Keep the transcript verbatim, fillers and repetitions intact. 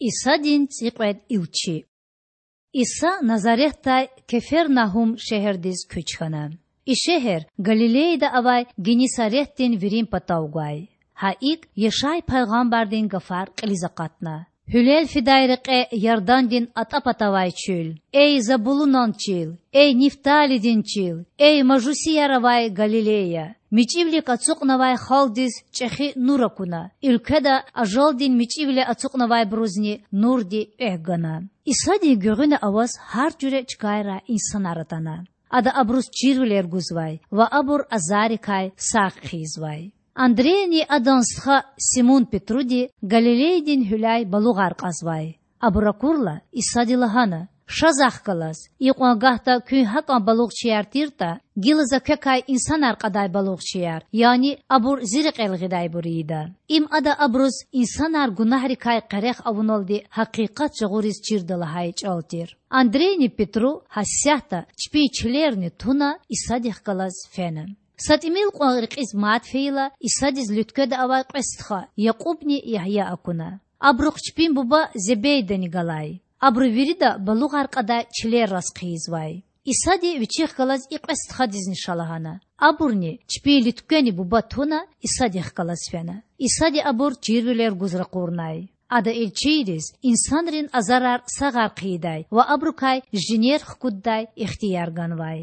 Исадин цІикьвед илчи. Иса Назаретдай Кефернагьум шегьердиз куьч хьана. И шегьер Галилеяда авай Геннисаретдин вирин патав гвай. Гьа икІ Яшай пайгъамбардин гафар кьилиз акъатна: Гьуьлел фидай рекье Ярдандин атІа пата авай чуьл! Эй Забулунан чил! Эй Нифталидин чил! Эй мажусияр авай Галилея! МичІивилик ацукьнавай халкьдиз чІехи нур акуна, уьлкведа ажалдин мичІивиле ацукьнавайбурузни нурди экв гана. Исадин гуьгъуьна аваз гьар жуьре чкайрай инсанар атана. Ада абуруз чирвилер гузвай ва абур азаррикай сагъ хъийизвай. Андрейни адан стха Симун-Петруди Галилеядин гьуьляй балугъар кьазвай. Абур акурла, Исади лагьана: Ша Захъ галаз. Икьван гагьда куьн гьакІан балугъчияр тиртІа, гила За квекай инсанар кьадай балугъчияр, яни абур Зи рекьел гъидайбур ийида. Им Ада абуруз инсанар гунагьрикай къерех авуналди гьакъикъат жагъуриз чирда лагьай чІал тир. Андрейни Петру гьасятда чпин чилерни туна Исадихъ галаз фена. Са тІимил кьван рекьиз мад фейила, Исадиз луьткведа авай кьве стха– Якьубни Ягья акуна. Абурухъ чпин буба Зебейдани галай. Абуру вирида балугъар кьадай чилерраз хъийизвай. Исади Вичихъ галаз и кьве стхадизни ша лагьана. Абурни, чпин луьтквени буба туна, Исадихъ галаз фена. Исади абур чирвилер гуз ракъурнай. Ада илчийриз инсанрин азарар сагъар хъийидай ва абурукай жинер хкуддай ихтияр ганвай.